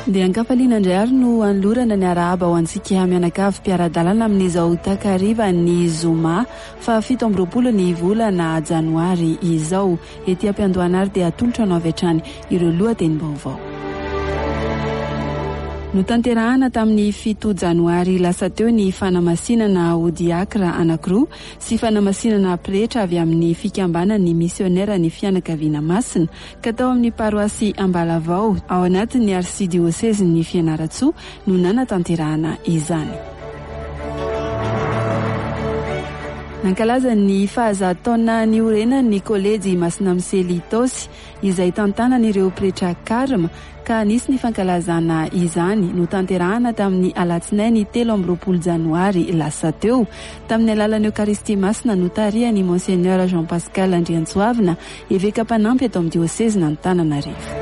Dia an-kafaliana indray ary no anolorana ny arahaba ho antsika mianakavy mpiara-dalana amin'izao takarivan'ny zoma faha 27 ny volana janoary izao. Ety am-piandohana ary dia atolotra anao avy hatrany ireo lohatenim-baovao. Notanterahana tamin'ny fito janoary lasa teo ny fanamasinana ho diakra anankiroa sy fanamasinana pretra avy amin'ny fikambanan'ny misioneran'ny fianakaviana masina ka tao amin'ny paroasy Ambalavao ao anatin'ny arsidiosezin'ny Fianarantsoa no nanatanterahana izany. Nankalaza ny fahazato taona niorenany ny kolejy Masina Misely Itaosy izay tantanan'ireo pretra Carme ka nisy ny fankalazana izany notanterahana tamin'ny alatsinainy 23 janoary lasa teo tamin'ny alalan'ny Eokaristia Masina notarihan'i Monseigneur Jean Pascal Andriantsoavina Eveka mpanampy eto amin'ny diosezin'Antananarivo.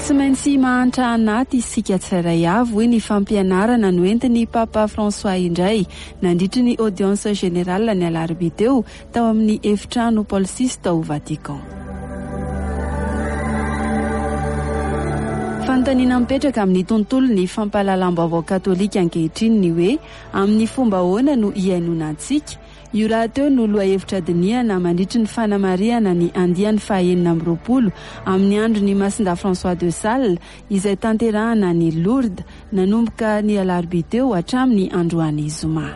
Tsy maintsy mahantra anaty isika tsirairay avy, hoy ny fampianarana noentin'ny Papa François indray nandritry ny audience générale ny alarobia teo tao amin'ny efitrano Paul VI tao Vatican. Fanontaniana mipetraka amin'ny tontolon'ny fampahalalam-baovao katolika ankehitriny ny hoe amin'ny fomba ahoana no hihainoana antsika? Io rahateo no lohahevitra dinihana mandritry ny fanamarihana ny andiany faha-26 amin'ny andron'i Masindahy François de Sales izay tanterahana any Lourdes nanomboka ny alarobia teo hatramin'ny androany zoma.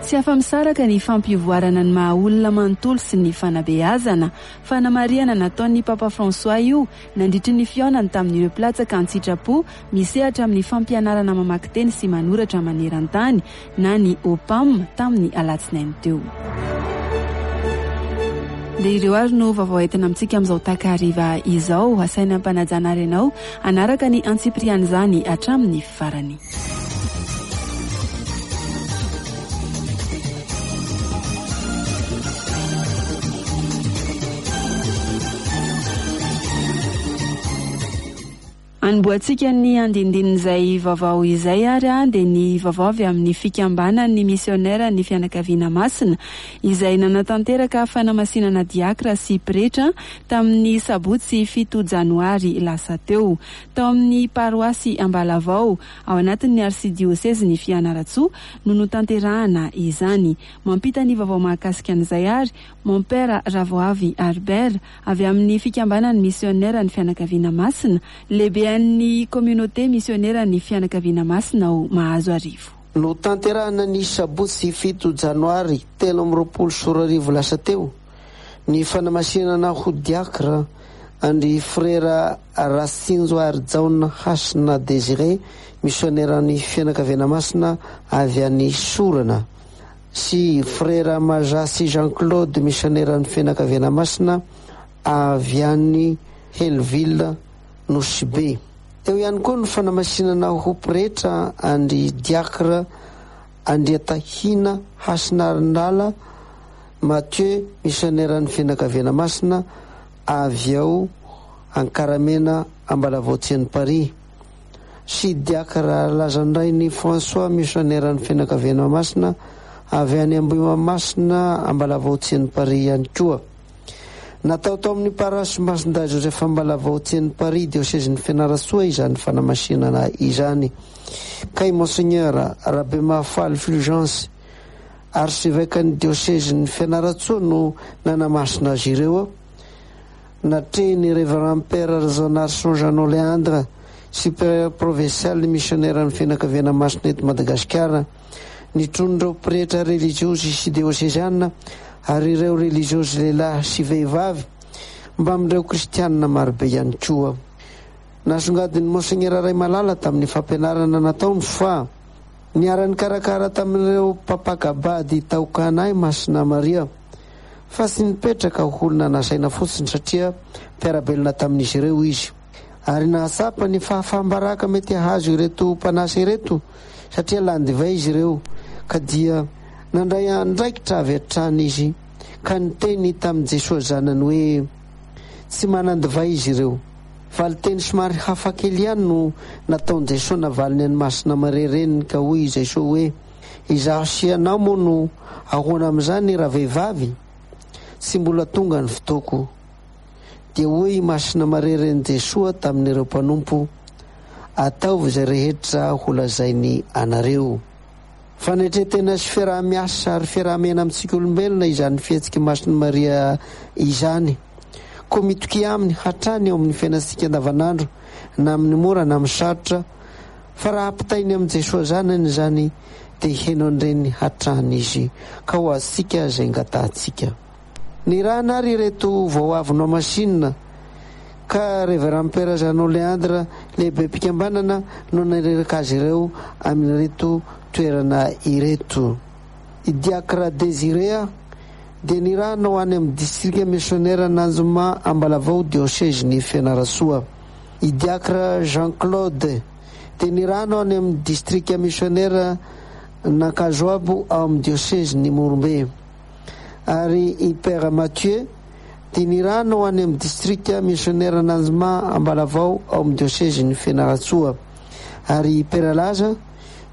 Tsy afa-misaraka ny fampivoarana ny maha olona manontolo sy ny fanabeazana. Fanamarihana nataon'ny Papa François io nandritry ny fihaonany tamin'ireo mpilatsaka an-tsitrapo misehatra amin'ny fampianarana mamaky teny sy manoratra maneran-tany na ny OPAM tamin'ny alatsinainy teo. Dia ireo ary no vaovao entina amintsika amin'izao takariva izao. Asaina am-panajana ary ianao hanaraka ny antsipirian'izany hatramin'ny farany. Anombohantsika ny andindinin'izay vaovao izay ary dia ny vaovao avy amin'ny fikambanan'ny misioneran'ny fianakaviana masina izay nanatanteraka fanamasinana diakra sy pretra tamin'ny sabotsy fito janoary lasa teo. Tao amin'ny paroasy Ambalavao, ao anatin'ny arsidiosezin'i Fianarantsoa no notanterahana izany. Mampita ny vaovao mahakasika an'izay ary Mompera Ravoavy Harbert, avy amin'ny Fikambanan'ny Misioneran'ny Fianakaviana Masina, lehibean'ny Communauté Misioneran'ny Fianakaviana Masina ao Mahazoarivo. Notanterahina ny sabotsy fito janoary 2023 lasa teo ny fanamasinana ho diakra an-dry Frera Ratsinjoarijaona Hasina Désiré, misioneran'ny Fianakaviana Masina avy any Sorana. sy Frera Majasy Jean Claude misioneran'ny Fianakaviana Masina avy any Hellville Nosy Be. Teo ihany koa ny fanamasinana ho pretra an-dry Diakra Andriatahina Hasinarinala Mathieu misioneran'ny Fianakaviana Masina avy ao Ankaramena Ambalavao Tsianiparia. sy Diakra Lazandrainy François misioneran'ny Fianakaviana Masina avy any Ambohimahamasina Ambalavao Tsianiparia ihany koa. Natao tao amin'ny Parasy Masindahy Joseph Ambalavao Tsianiparia diosezin'i Fianarantsoa izany fanamasinana izany ka i Monseigneur Rabemahafaly Fulgence Arsevekan'ny diosezin'i Fianarantsoa no nanamasina azy ireo. Natrehin'ny Révérend Père Rajaonarison Jeannot Léandre, Supérieur Provincial ny Misioneran'ny Fianakaviana Masina eto Madagasikara, nitron'ireo pretra relijiozy sy dioseziana ary ireo relijiozy lehilahy sy vehivavy mbamin'ireo kristianina marobe ihany koa. Nasongadin'i Monseigneur Raimalala tamin'ny fampianarana nataony fa niara-nikarakara tamin'ireo mpampaka-bady tao Kana i Masina Maria, fa tsy nipetraka ho olona nasaina fotsiny satria mpiara-belona tamin'izy ireo izy. Ary nahatsapa ny fahafaham-baraka mety hahazo ireto mpanasa ireto satria lany divay izy ireo ka dia nandray andraikitra avy hatrany izy ka niteny tamin'i Jesoa zanany hoe tsy manan-divay izy ireo. Valin-teny somary hafakely ihany no nataon'i Jesoa navaliny an'i Masina Maria reniny ka hoy i Jesoa hoe Izaho sy ianao moa no ahoana amin'izany ravehivavy? Tsy mbola tonga ny fotoako. Dia hoy i Masina Maria Renin'i Jesoa tamin'ireo mpanompo, Ataovy izay rehetra holazainy anareo. Fanetren-tena sy fiaraha-miasa ary fiaraha-miaina amintsika olombelona izany fihetsik'i Masina Maria izany. Koa mitokia aminy hatrany eo amin'ny fiainantsika andavanandro, na amin'ny mora na amin'ny sarotra, fa raha ampitainy amin'i Jesoa Zanany izany dia heno an-dreniny hatrany Izy, ka ho azontsika izay angatahantsika. Nirahana ary ireto vao avy nohamasinina ka Révérend Père Jeannot Léandre lehibem-pikambanana no naniraka azy ireo amin'ireto toerana ireto. I Diacre Désiré dia nirahana ho any amin'ny distrika misionera Ananjoma Ambalavao diosezin'i Fianarantsoa. I Diacre Jean Claude dia nirahana ho any amin'ny distrika misionera Nankazoabo ao amin'ny diosezin'i Morombe. Ary i Père Mathieu dia nirahana ho any amin'ny distrika misionera Nanjoma Ambalavao ao amin'ny diosezin'i Fianarantsoa. Ary i Père Laza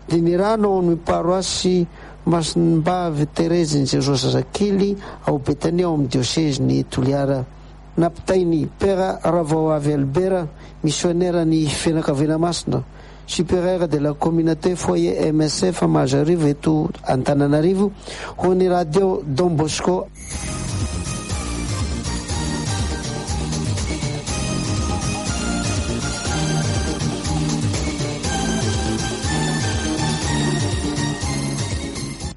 dia nirahana ao amin'ny paroasy Masimbavy Terezin'i Jesoa Zazakely ao Betania ao amin'ny diosezin'i Toliara. Nampitain'i Père Ravaoavy Albert, misioneran'ny Fianakaviana Masina, Supérieur de la Communauté Foyer MSF Mahazoarivo eto Antananarivo, ho an'ny Radio Don Bosco.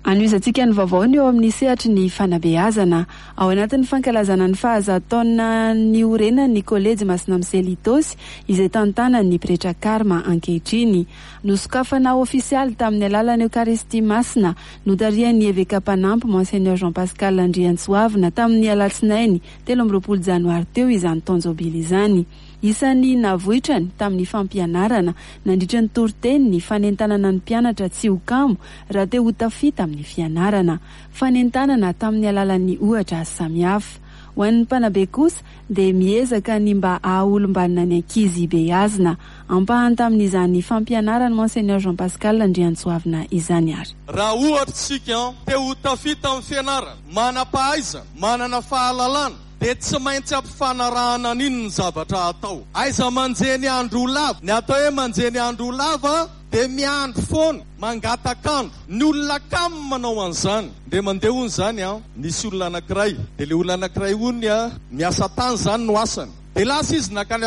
Anohizantsika ny vaovao ny eo amin'ny sehatry ny fanabeazana. Ao anatin'ny fankalazana ny fahazato taona niorenan'ny Kolejy Masina Misely Itaosy, izay tantanan'ny Pretra Karma ankehitriny. Nosokafana ofisialy tamin'ny alalan'ny Eokaristia Masina notarihan'ny Eveka mpanampy Monseigneur Jean Pascal Andriantsoavina tamin'ny alatsinainy 23 janoary teo izany taon-jobily izany. Isan'ny navoitrany tamin'ny fampianarana nandritra ny toriteny ny fanentanana ny mpianatra tsy ho kamo raha te ho tafita amin'ny fianarana. Fanentanana tamin'ny alalan'ny ohatra samihafa. Ho an'ny mpanabe kosa dia miezaka ny mba haha-olom-banona ny ankizy beazina. Ampahany tamin'izany fampianaran'i Monseigneur Jean Pascal Andriantsoavina izany ary. Raha ohatra isika te ho tafita amin'ny fianarana, manam-pahaizana, manana fahalalana, dia tsy maintsy ampifanarahana an'iny ny zavatra atao. Aiza manjehy ny andro ho lava? Ny atao hoe manjehy ny andro ho lava dia miandry foana, mangatak'andro. Ny olona kamo manao an'izany. Ndre mandeha hono izany an, nisy olona anankiray, dia ilay olona anankiray hono an, miasa tany izany no asany. Dia lasa izy nankany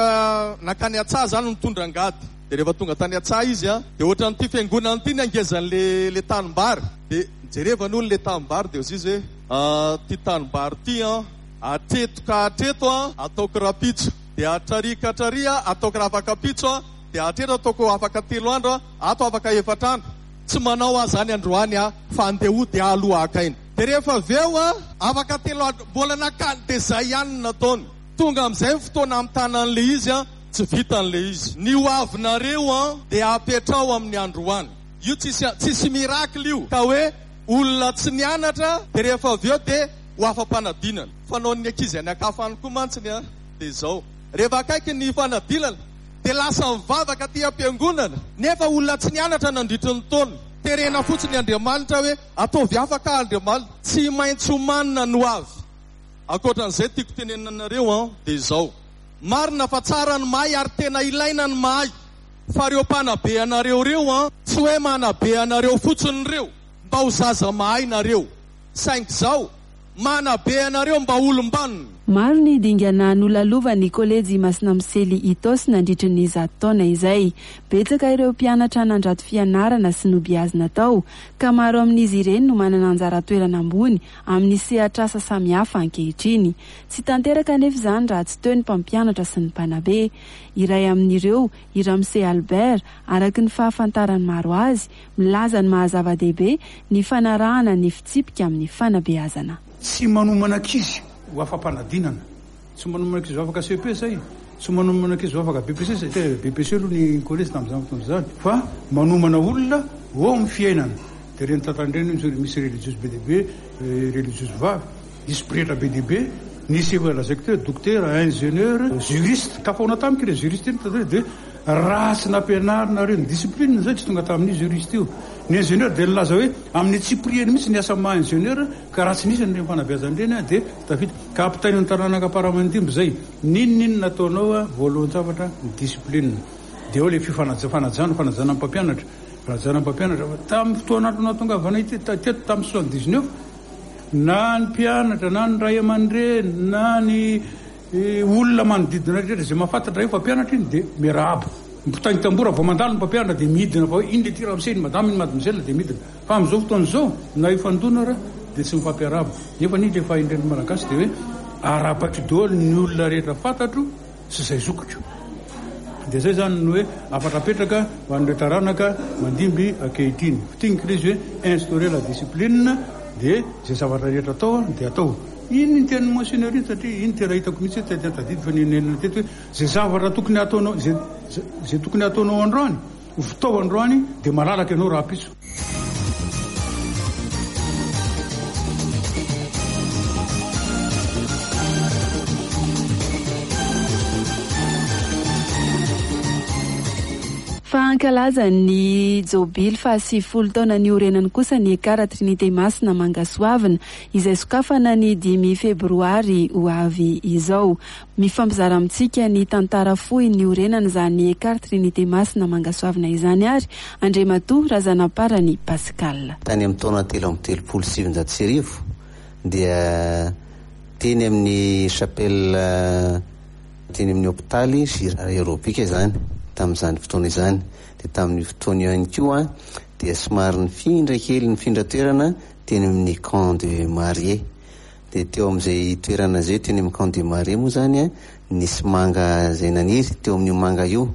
nankany an-tsaha izany nitondra angady. Dia rehefa tonga tany an-tsaha izy an, dia ohatran'ity fiangonana ity ny hangezan'ilay ilay tanimbary. Dia nijerevany hono ilay tanimbary dia hozy izy hoe, ity tanimbary ity an, hatreto ka hatreto an, ataoko rahampitso. Dia hatrary ka hatrary an, ataoko rahafakampitso an, dia hatreto ataoko afaka telo andro an, ato afaka efatra andro. Tsy manao aho izany androany aho fa andeha hody aho aloha haka aina. Dia rehefa avy eo an, afaka telo andro, mbola nakany dia izay ihany no nataony. Tonga amin'izay ny fotoana hamitana an'ilay izy an, tsy vita an'ilay izy. Ny ho avinareo an, dia apetraho amin'ny androany. Io tsisy tsisy miracle io ka hoe olona tsy nianatra dia rehefa avy eo dia ho afa-panadinana. Fanaon'ny ankizy any an-kafa any koa mantsy ny an, dia izao. Rehefa akaiky ny fanadinana dia lasa mivavaka aty am-piangonana nefa olona tsy nianatra nandritry ny taona. Terena fotsiny Andriamanitra hoe ataovy afaka aho Andriamanitra. Tsy maintsy omanina ny ho avy. Ankoatran'izay tiako tenenina anareo an, dia izao. Marina fa tsara ny mahay ary tena ilaina ny mahay. Fa reo mpanabe anareo reo an, tsy hoe manabe anareo fotsiny reo mba ho zaza mahay nareo. Saingy zao, manabe anareo mba olom-banona. Maro ny dingana nolalovan'ny Kolejy Masina Misely Itaosy nandritry ny zato taona izay. Betsaka ireo mpianatra nandrato fianarana sy nobeazina tao, ka maro amin'izy ireny no manana anjara toerana ambony amin'ny sehatr'asa samihafa ankehitriny. Tsy tanteraka anefa izany raha tsy teo ny mpampianatra sy ny mpanabe. Iray amin'ireo, i Ramose Albert, araka ny fahafantaran'ny maro azy, milaza ny maha zava-dehibe ny fanarahana ny fitsipika amin'ny fanabeazana. Tsy manomana ankizy ho afa-panadinana, tsy manomana ankizy ho afaka cepe izay, tsy manomana ankizy ho afaka BEPC satria BEPC aloha ny kolejy tamin'izany fotoana izany, fa manomana olona ho ao amin'ny fiainana. Dia ireny tantara ireny misy relijiozy be dia be, relijiozy vavy, nisy pretra be dia be, nisy efa lazaiko teo dokotera, ingénieur, juriste, tafahoana tamiko ireny juriste ireny tato aoriana dia. Raha tsy nampianarina ireo ny discipline izay tsy tonga tamin'io juriste io. Ny ingénieur dia nilaza hoe amin'ny antsipiriany mihitsy ny asa maha ingénieur ka raha tsy nisy an'ireny fanabeazana ireny dia tsy tafita. Ka ampitaina ny taranaka am-paramandimby izay. N'inon'inona ataonao voalohan-javatra ny discipline. Dia ao ilay fifanaja, fanajana, fanajana ny mpampianatra. Fanajana ny mpampianatra. Fa tamin'ny fotoan'andro nahatongavanay teto tamin'ny 79, na ny mpianatra na ny ray aman-dreny na ny olona manodidina rehetra izay mahafantatra hoe mpampianatra iny dia miarahaba. Mpitaingin-tamboho raha vao mandalo ny mpampianatra dia midina fa hoe iny le ty ramose, iny madame, iny mademoiselle dia midina. Fa amin'izao fotoana izao na hifandona ara dia tsy mifampiarahaba. Nefa anie ilay fahendren'ny Malagasy dia hoe arahabaiko daholo ny olona rehetra fantatro sy izay zokiko. Dia izay izany no hoe hafatra apetraka ho an'ireo taranaka mandimby ankehitriny. Fintiniko ilay izy hoe instaurer la discipline dia izay zavatra rehetra atao dia atao. Iny ny tenin'i Monseigneur iny satria iny tena hitako mihitsy hoe tena tadidy fa nenenina teto hoe izay zavatra tokony hataonao izay izay tokony hataonao androany ho vitao androany dia malalaka ianao rahampitso. Fa hankalaza ny jobily faha 90 taona niorenany kosa ny Ekara Trinite Masina Mangasoavina, izay sokafana ny dimy febroary ho avy izao. Mifampizara amintsika ny tantara fohy niorenana izany Ekar Trinite Masina Mangasoavina izany ary Andriamatoa Razanamparany Pascal. Tany amin'ny taona 1933 dia teny amin'ny chapelle teny amin'ny hopitaly Girard Aerobic izany tamin'izany fotoana izany. Dia tamin'io fotoana io ihany koa dia somary nifindra kely nifindra toerana teny amin'ny camp de marié. Dia teo amin'izay toerana izay, teny amin'ny camp de marié moa izany, nisy manga izay naniry, teo amin'io manga io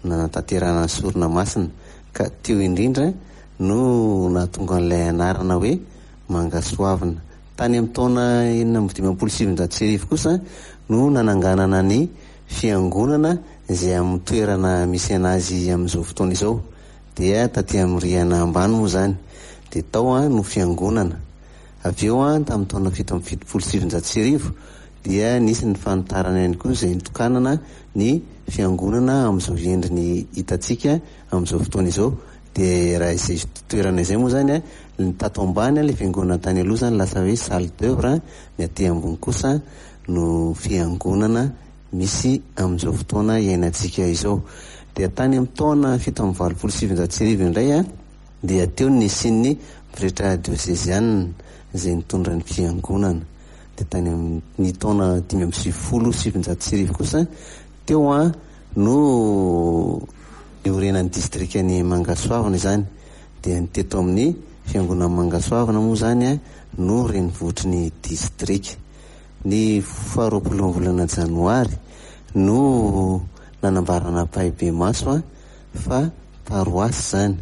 no nanatanterahana ny sorona masina, ka teo indrindra no nahatonga an'ilay anarana hoe Mangasoavina. Tany amin'ny taona 1956 kosa no nananganana ny fiangonana izay amin'ny toerana misy an'azy amin'izao fotoana izao, dia taty amin'ny rihana ambany moa izany, dia tao no fiangonana. Avy eo, tamin'ny taona 1977, dia nisy ny fanitarana ihany koa izay nitokanana ny fiangonana amin'izao endriny hitantsika amin'izao fotoana izao. Dia raha izay toerana izay moa izany, ny tato ambany ilay fiangonana tany aloha izany lasa hoe salle d'oeuvre, ny aty ambony kosa no fiangonana misy amin'izao fotoana iainantsika izao. Dia tany amin'ny taona 1987 indray, dia teo ny nisian'ny pretra diosezianina izay nitondra ny fiangonana. Dia tany amin'ny taona 1995 kosa teo no niorenan'ny distrikan'i Mangasoavina izany. Dia ny teto amin'ny fiangonan'i Mangasoavina moa izany no renivohitry ny distrika. Ny faharoapolon'ny volana janoary no nanambarana ampahibemaso fa paroasy izany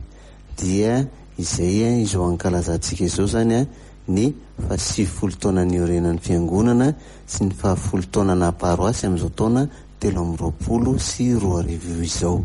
dia izay izao ankalazantsika izao izany ny faha 90 taona niorenan'ny fiangonana sy ny faha folo taona naha paroasy amin'izao taona 2023 izao.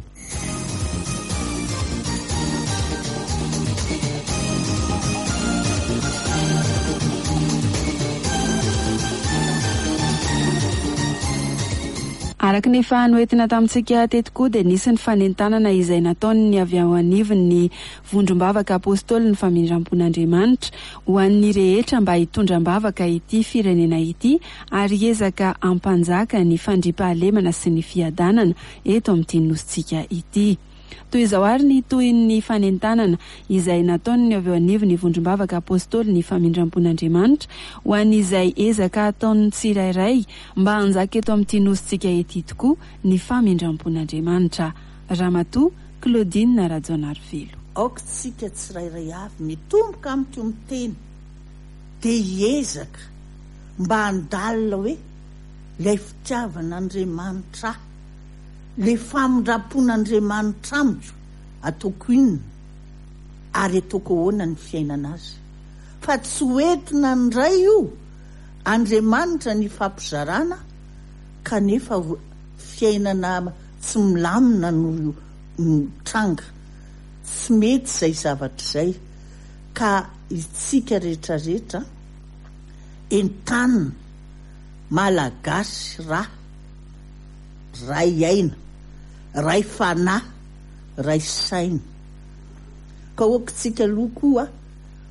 Araka ny efa noentina tamintsika teto koa dia nisy ny fanentanana izay nataon'ny avy ao anivon'ny Vondrom-bavaka Apôstôlin'ny Famindram-pon'Andriamanitra ho an'ny rehetra mba hitondra am-bavaka ity firenena ity ary hiezaka hampanjaka ny fandriampahalemana sy ny fiadanana eto amin'ity nosintsika ity. Toy izao àry ny tohin'ny fanentanana izay nataon'ny avy eo anivon'ny Vondrom-bavaka Apôstôly ny Famindram-pon'Andriamanitra ho an'izay ezaka ataon'ny tsirairay mba hanjaka eto amin'ity nosintsika ity tokoa ny famindram-pon'Andriamanitra. Ramatoa Claudine Rajaonarivelo. Aoka isika tsirairay avy mitomboka amiko miteny dia hiezaka mba handalina hoe ilay fitiavan'Andriamanitra ahy, Le famindrampon'Andriamanitra amiko ataoko inona ary ataoko ahoana ny fiainana azy? Fa tsy ho entina indray io Andriamanitra ny ifampizarana kanefa fiainana tsy milamina no mitranga. Tsy mety izay zavatra izay ka itsika rehetra rehetra entanina Malagasy raha. Ray aina. Ray fanahy, ray saina. Ka aoka-tsika aloha koa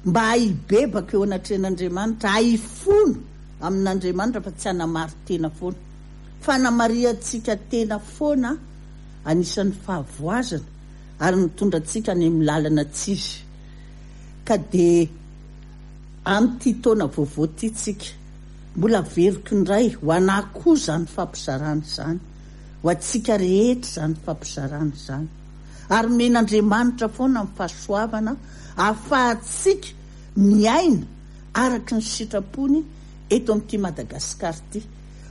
mba hibebaka eo anatrehan'Andriamanitra, hahifona amin'Andriamanitra fa tsy hanamari-tena foana. Fanamarihantsika tena foana anisan'ny fahavoazana ary mitondra antsika any amin'ny lalana tsy izy. Ka dia amin'ity taona vaovao ity tsika, mbola averiko indray ho anà koa izany fampizarana izany, ho antsika rehetra izany fampizarana izany. Ary omen'Andriamanitra foana ny fahasoavana ahafahantsika miaina araka ny sitrapony eto amin'ity Madagasikara ity.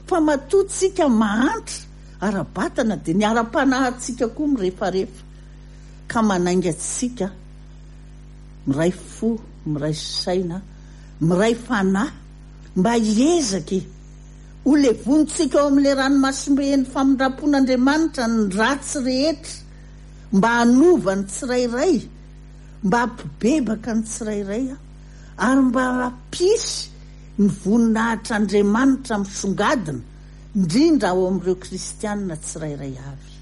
Fa matoa tsika mahantra ara-batana dia ny ara-panahintsika koa mirefarefa ka manainga antsika miray fo, miray saina, miray fanahy mba hiezaka e! Ho levonintsika ao amin'ilay ranomasimben'ny famindram-pon'Andriamanitra ny ratsy rehetra mba hanova ny tsirairay, mba hampibebaka ny tsirairay ary mba hampisy ny voninahitr'Andriamanitra misongadina indrindra ao amin'ireo kristiana tsirairay avy.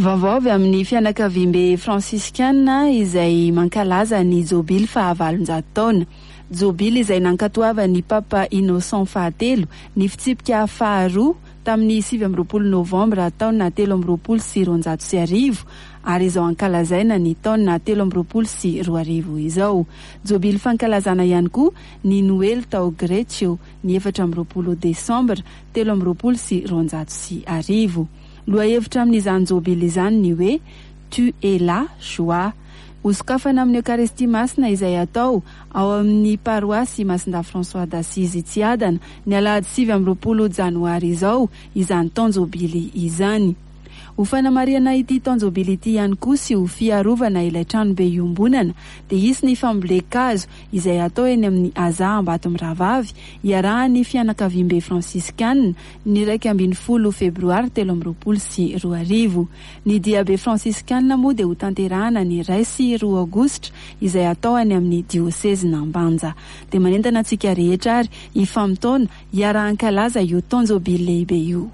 Vaovao avy amin'ny fianakaviambe fransiskana izay mankalaza ny jobily fahavalonjato taona. Jobily izay nankatoavan'ny Papa Innocent fahatelo ny fitsipika faharoa tamin'ny 29 novambra taona 1223 ary izao ankalazaina ny taona 2023 izao. Jobily fankalazana ihany koa ny Noely tao Greccio ny 24 desambra 1223. Lohahevitra amin'izany jobily izany ny hoe Tu es là, joie. Hosokafana amin'ny Eokaristia Masina izay atao ao amin'ny paroasy Masindahy François d'Assise Tsiadana ny alahady 29 janoary izao izany taon-jobily izany. Ho fanamarihana ity taon-jobily ity ihany koa sy ho fiarovana ilay tranobe iombonana dia hisy ny fambolen-kazo izay atao eny amin'ny Aza Ambatomirahavavy iarahan'ny fianakaviambe fransiskana ny 11 febroary 2023. Ny diabe fransiskana moa dia hotanterahana ny 1 sy 2 aogositra izay atao any amin'ny diosezin'Ambanja. Dia manentana antsika rehetra ary hifamotoana hiara-hankalaza io taon-jobily lehibe io.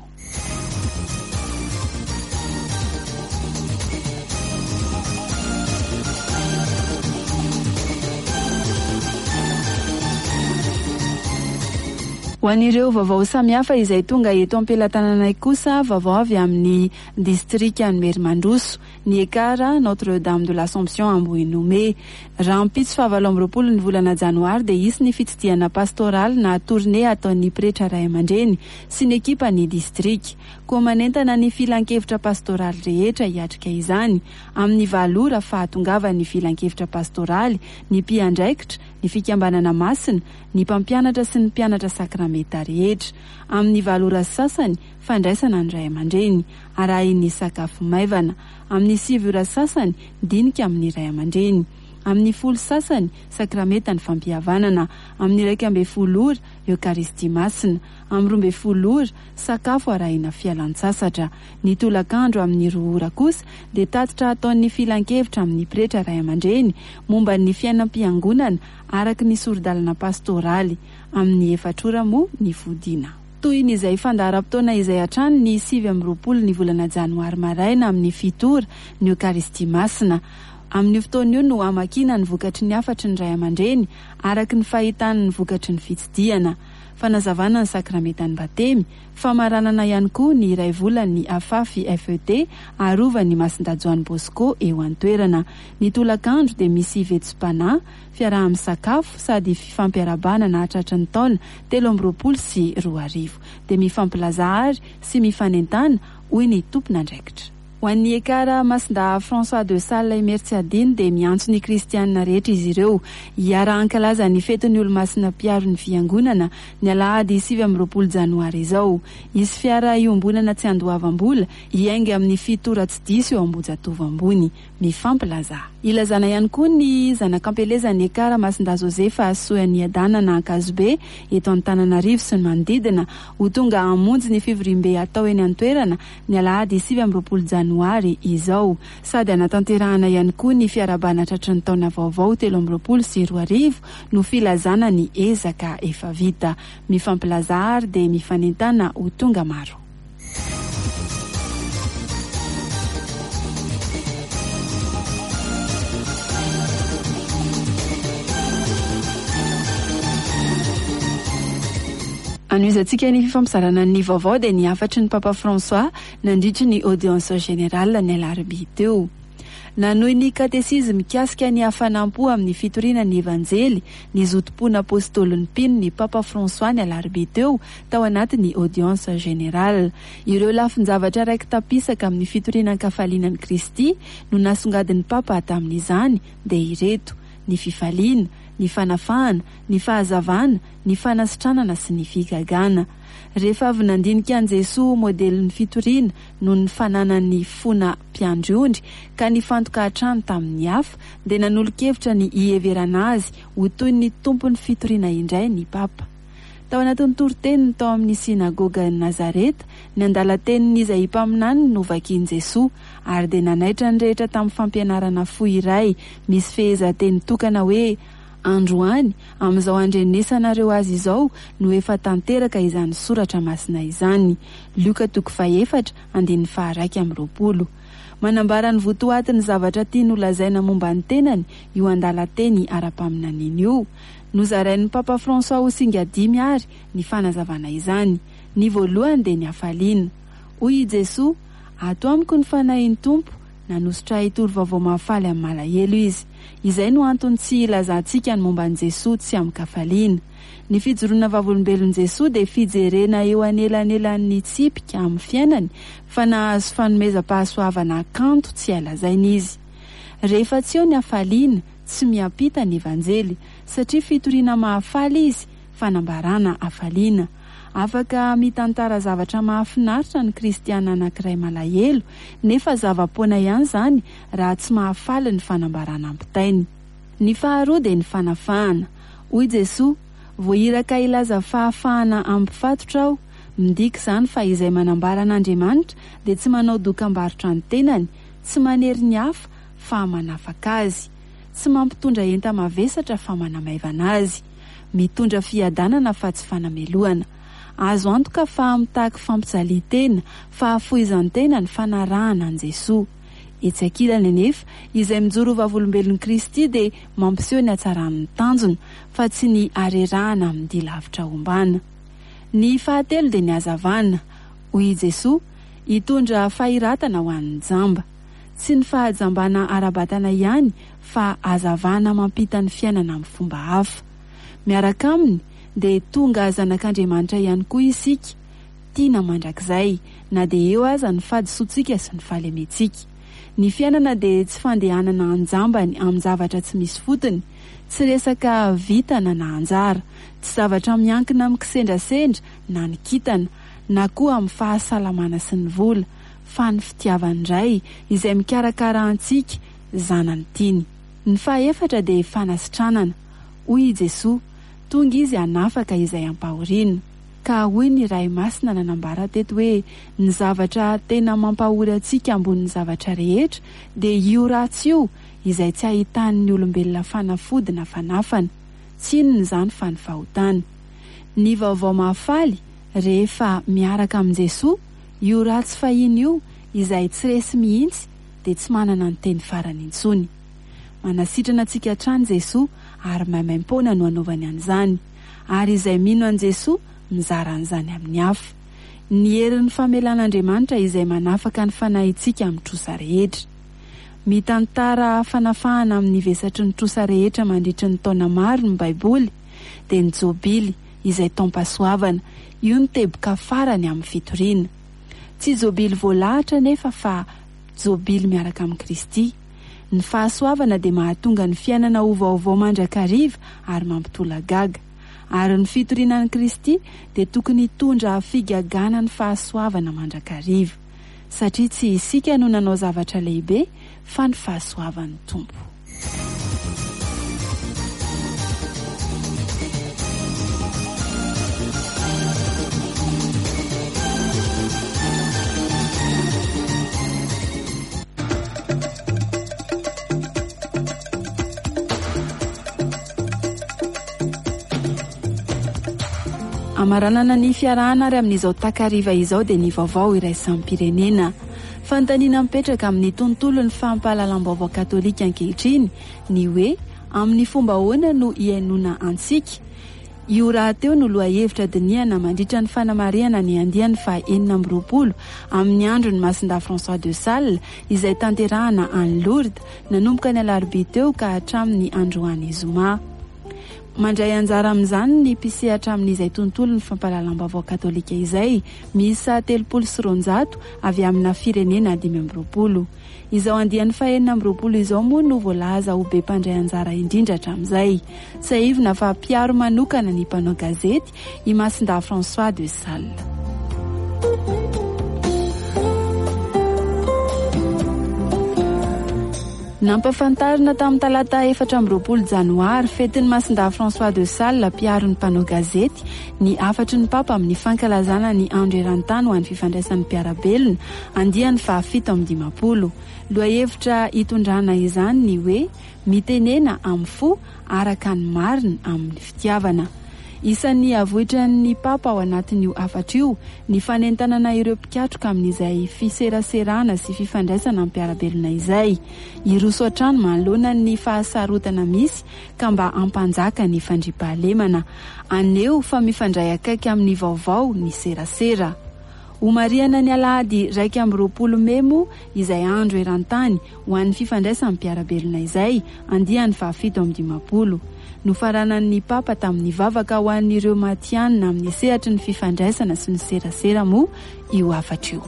Ho an'ireo vaovao samihafa izay tonga eto am-pelatananay kosa, vaovao avy amin'ny distrikan'i Merimandroso, ny Ekar Notre Dame de l'Assomption Ambohinome. Rahampitso faha-28 ny volana janoary dia hisy ny fitsidihana pastoraly na tournée ataon'ny pretra ray aman-dreny sy ny ekipan'ny distrika. Koa manentana ny filankevitra pastoraly rehetra hiatrika izany. Amin'ny valo ora fahatongavan'ny filankevitra pastoraly, ny mpiandraikitra, ny fikambanana masina, ny mpampianatra sy ny mpianatra sakramenta rehetra. Amin'ny valo ora sy sasany, fandraisana ny ray aman-dreny, arahin'ny sakafo maivana. Amin'ny sivy ora sasany, dinika amin'ny ray aman-dreny. Amin'ny folo sasany, sakramenta ny fampihavanana. Amin'ny 11 ora, Eokaristia Masina. Amin'ny 12 ora, sakafo arahina fialan-tsasatra. Ny tolakandro amin'ny roa ora kosa dia tatitra ataon'ny filankevitra amin'ny pretra ray aman-dreny momba ny fiainam-piangonana araka ny sori-dalana pastoraly. Amin'ny efatra ora moa ny fodiana. Tohin'izay fandaharam-potoana izay hatrany ny 29 ny volana janoary maraina amin'ny fito ora ny Eokaristia Masina. Amin'io fotoana io no hamakiana ny vokatry ny hafatry ny ray aman-dreny araka ny fahitany ny vokatry ny fitsidihana. Fanazavana ny sakramentan'ny batemy, famaranana ihany koa ny iray volan'ny Afafi FET arovan'ny Masindahy Joany Bosco eo an-toerana. Ny tolakandro dia misy vetsom-panahy, fiaraha-misakafo sady fifampiarahabana nahatratra ny taona 2023. Dia mifampilaza ary sy mifanentana hoy ny tompon'andraikitra. Ho an'ny Ekar Masindahy François de Sales Imerintsiadino dia miantso ny kristianina rehetra izy ireo hiara-hankalaza ny fetin'ny olomasina mpiaro ny fiangonana ny alahady 29 janoary izao. Hisy fiara iombonana tsy andoavam-bola hiainga amin'ny fito ora tsy diso eo Ambohijatovo ambony. Mifampilaza. Ilazana ihany koa ny zanak'ampelezan'ny Ekar Masindahy Josefa Soaniadanana Ankazobe eto Antananarivo sy ny manodidina ho tonga hamonjy ny fivoriambe hatao eny an-toerana ny alahady 29 janoary. janoary izao. Sady hanatanterahana ihany koa ny fiarahabana tratry ny taona vaovao 2023 no filazana ny ezaka efa vita. Mifampilaza ary dia mifanentana ho tonga maro. Anohizantsika ny fifampizarana ny vaovao dia ny hafatry ny Papa François nandritry ny audience générale ny alarobia teo. Nanohy ny katesizy mikasika ny hafanam-po amin'ny fitoriana ny Evanjely, ny zotom-pon'Apôstôlin'ny mpino ny Papa François ny alarobia teo tao anatin'ny audience générale. Ireo lafin-javatra raiki-tapisaka amin'ny fitoriana an-kafaliana an'i Kristy no nasongadin'ny Papa tamin'izany dia ireto, ny fifaliana, ny fanafahana, ny fahazavana, ny fanasitranana sy ny figagana. Rehefa avy nandinika an'i Jesoa ho modelin'ny fitoriana noho ny fananany fona mpiandry ondry ka nifantoka hatrany tamin'ny hafa, dia nanolo-kevitra ny hiheverana azy ho toy ny tompon'ny fitoriana indray ny Papa. Tao anatin'ny toriteniny tao amin'ny synagogan'i Nazareta, ny andalan-tenin'i Izaia mpaminany no novakian'i Jesoa, ary dia nanaitra ny rehetra tamin'ny fampianarana fohy iray misy fehezanteny tokana hoe, Androany, amin'izao andrenesanareo azy izao, no efa tanteraka izany soratra masina izany. Lioka toko fahefatra, andininy faha-21. Manambara ny votoatin'ny zavatra tiany holazaina momba ny tenany io andalan-teny ara-paminaniana io. Nozarain'ny Papa François ho singa dimy àry ny fanazavana izany. Ny voalohany dia ny hafaliana. Hoy i Jesoa, Ato amiko ny Fanahin'ny Tompo, Nanosotra ahy hitory vaovao mahafaly amin'ny malahelo izy. Izay no antony tsy hilazantsika ny momba an'i Jesoa tsy amin-kafaliana. Ny fijoroana vavolombelon'i Jesoa dia fijerena eo anelanelan'ny tsipika amin'ny fiainany fa nahazo fanomezam-pahasoavana kanto tsy hay lazaina izy. Rehefa tsy eo ny hafaliana, tsy miampita ny Evanjely, satria fitoriana mahafaly izy, fanambarana hafaliana. Afaka mitantara zavatra mahafinaritra ny kristiana anankiray malahelo, nefa zava-poana ihany izany raha tsy mahafaly ny fanambarana ampitainy. Ny faharoa dia ny fanafahana. Hoy Jesoa, Voahiraka hilaza fahafahana hampifatotra aho. Midika izany fa izay manambara an'Andriamanitra dia tsy manao dokam-barotra ny tenany, tsy manery ny hafa fa manafaka azy. Tsy mampitondra enta-mavesatra fa manamaivana azy. Mitondra fiadanana fa tsy fanamelohana. Azo antoka fa mitaky fampijalian-tena, fahafoizan-tena ny fanarahana an'i Jesoa. Etsy ankilany anefa, izay mijoro ho vavolombelon'i Kristy dia mampiseho ny hatsaran'ny tanjona, fa tsy ny harerahana amin'ny dia lavitra ombana. Ny fahatelo dia ny hazavana. Hoy i Jesoa, Hitondra fahiratana ho an'ny jamba. Tsy ny fahajambana ara-batana ihany fa hazavana mampita ny fiainana amin'ny fomba hafa. Miaraka Aminy dia tonga zanak'Andriamanitra ihany koa isika, tiana mandrakizay, na dia eo aza ny fahadisoantsika sy ny fahalementsika. Ny fiainana dia tsy fandehanana an-jambany amin-javatra tsy misy fotony, tsy resaka vintana na anjara, tsy zavatra miankina amin'ny kisendrasendra na ny kintana, na koa amin'ny fahasalamana sy ny vola, fa ny fitiavan'ny Ray izay mikarakara antsika zanany tiany. Ny fahaefatra dia fanasitranana. Hoy i Jesoa, Tonga Izy hanafaka izay ampahoriana. Ka hoy ny Ray Masina nanambara teto hoe ny zavatra tena mampahory antsika ambonin'ny zavatra rehetra dia io ratsy io izay tsy ahitan'ny olombelona fanafody na fanafana. Tsy inona izany fa ny fahotana. Ny vaovao mahafaly rehefa miaraka amin'i Jesoa, io ratsy fahiny io izay tsy resy mihitsy dia tsy manana ny teny farany intsony. Manasitrana antsika hatrany Jesoa ary maimaimpoana no anaovany an'izany. Ary izay mino an'i Jesoa mizara an'izany amin'ny hafa. Ny herin'ny famelan'Andriamanitra izay manafaka ny fanahintsika amin'ny trosa rehetra. Mitantara fanafahana amin'ny vesatry ny trosa rehetra mandritry ny taona maro ny Baiboly, dia ny Jobily izay taom-pahasoavana. Io no teboka farany amin'ny fitoriana. Tsy jobily voalahatra anefa fa jobily miaraka amin'i Kristy. Ny fahasoavana dia mahatonga ny fiainana ho vaovao mandrakariva ary mampitolagaga. Ary ny fitoriana an'i Kristy dia tokony hitondra figagana ny fahasoavana mandrakariva. Satria tsy isika no nanao zavatra lehibe fa ny fahasoavan'ny Tompo. Amaranana ny fiarahana ary amin'izao takariva izao dia ny vaovao iraisam-pirenena. Fanontaniana mipetraka amin'ny tontolon'ny fampahalalam-baovao katolika ankehitriny ny hoe amin'ny fomba ahoana no ihainoana antsika? Io rahateo no lohahevitra dinihana mandritra ny fanamarihana ny andiany faha 26 amin'ny andron'ny Masindahy François de Sales izay tanterahana any Lourdes nanomboka ny alarobia teo ka hatramin'ny androany zoma. Mandray anjara amin'izany ny mpisehatra amin'izay tontolon'ny fampahalalam-baovao katolika izay, miisa 230 avy amina firenena 25. Izao andiany faha-26 izao moa no voalaza ho be mpandray anjara indrindra hatramin'izay. Tsiahivina fa mpiaro manokana ny mpanao gazety i Masindahy François de Sales. Nampafantarina tamin'ny talata 24 janoary, fetin'ny Masindahy François de Sales, mpiaro ny mpanao gazety, ny hafatry ny Papa amin'ny fankalazana ny Andro eran-tany ho an'ny fifandraisan'ny mpiara-belona, andiany faha-57. Lohahevitra hitondrana izany ny hoe Mitenena amin'ny fo araka ny marina amin'ny fitiavana. Isan'ny avoitran'ny Papa ao anatin'io hafatra io ny fanentanana ireo mpikatroka amin'izay fiseraserana sy fifandraisana amin'ny mpiara-belona izay. Hiroso hatrany manoloana ny fahasarotana misy ka mba hampanjaka ny fandriampahalemana. Haneho fa mifandray akaiky amin'ny vaovao ny serasera. Homarihana ny alahady 21 mey moa izay andro eran-tany ho an'ny fifandraisan'ny mpiara-belona izay, andiany faha-57. Nofaranan'ny Papa tamin'ny vavaka ho an'ireo matihanina amin'ny sehatry ny fifandraisana sy ny serasera moa io hafatra io.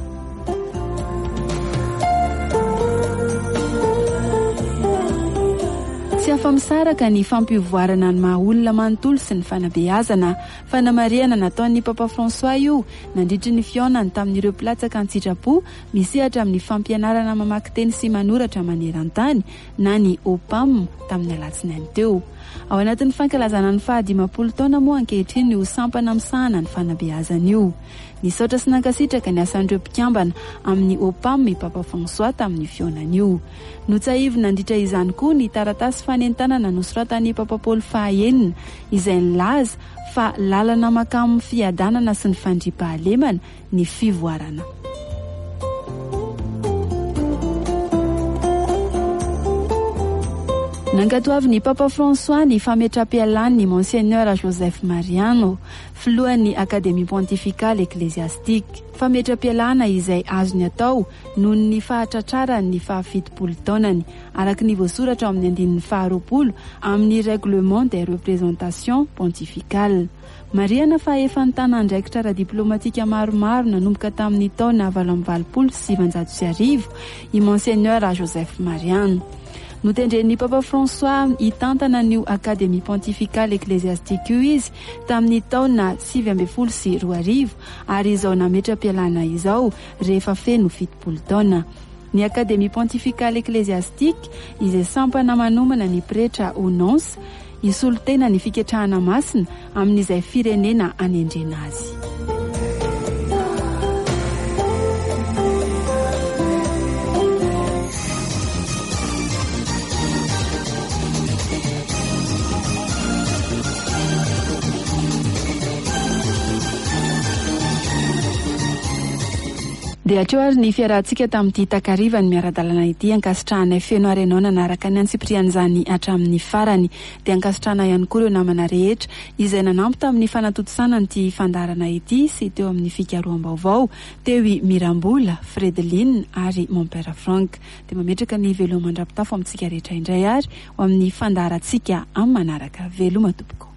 Tsy afa-misaraka ny fampivoarana ny maha olona manontolo sy ny fanabeazana. Fanamarihana nataon'ny Papa François io nandritry ny fihaonany tamin'ireo mpilatsaka an-tsitrapo misehatra amin'ny fampianarana mamaky teny sy manoratra maneran-tany na ny OPAM tamin'ny alatsinainy teo. Ao anatin'ny fankalazana ny faha-50 taona moa ankehitriny io sampana misahana ny fanabeazana io. Nisaotra sy nankasitraka ny asan'ireo mpikambana amin'ny OPAM i Papa François tamin'io fihaonana io. Notsahiviny nandritra izany koa ny taratasy fanentanana nosoratan'i Papa Paoly faha-enina izay nilaza fa lalana mankamin'ny fiadanana sy ny fandriampahalemana ny fivoarana. Nankatoavin'ny Papa François ny fametram-pialan'ny Monseigneur Joseph Mariano, filohan'ny Académie Pontificale Ecclésiastique. Fametram-pialana izay azony atao noho ny fahatratrarany ny faha-70 taonany, araka ny voasoratra ao amin'ny andininy faha-20 amin'ny Règlement des représentations pontificales. Marihana fa efa nitana andraikitra ara-diplaomatika maromaro nanomboka tamin'ny taona 1988 i Monseigneur Joseph Mariano. Notendren'ny Papa François hitantana an'io Académie Pontificale Ecclésiastique io izy tamin'ny taona 2019 ary izao nametra-pialana izao rehefa feno 70 taona. Ny Académie Pontificale Ecclésiastique izay sampana manomana ny pretra ho nonce hisolo tena ny fiketrahana masina amin'izay firenena anendrena azy. Dia hatreo ary ny fiarahantsika tamin'ity takariva ny miara-dalana ity. Ankasitrahanay feno ary ianao nanaraka ny antsipirian'izany hatramin'ny farany. Dia ankasitrahana ihany koa ireo namana rehetra izay nanampy tamin'ny fanatontosana an'ity fandaharana ity sy teo amin'ny fikaroham-baovao, teo i Mirambola, Fredeline ary Mon Père Franck. Dia mametraka ny veloma mandra-pitafo amintsika rehetra indray ary ho amin'ny fandaharantsika amin'ny manaraka. Veloma tompoko.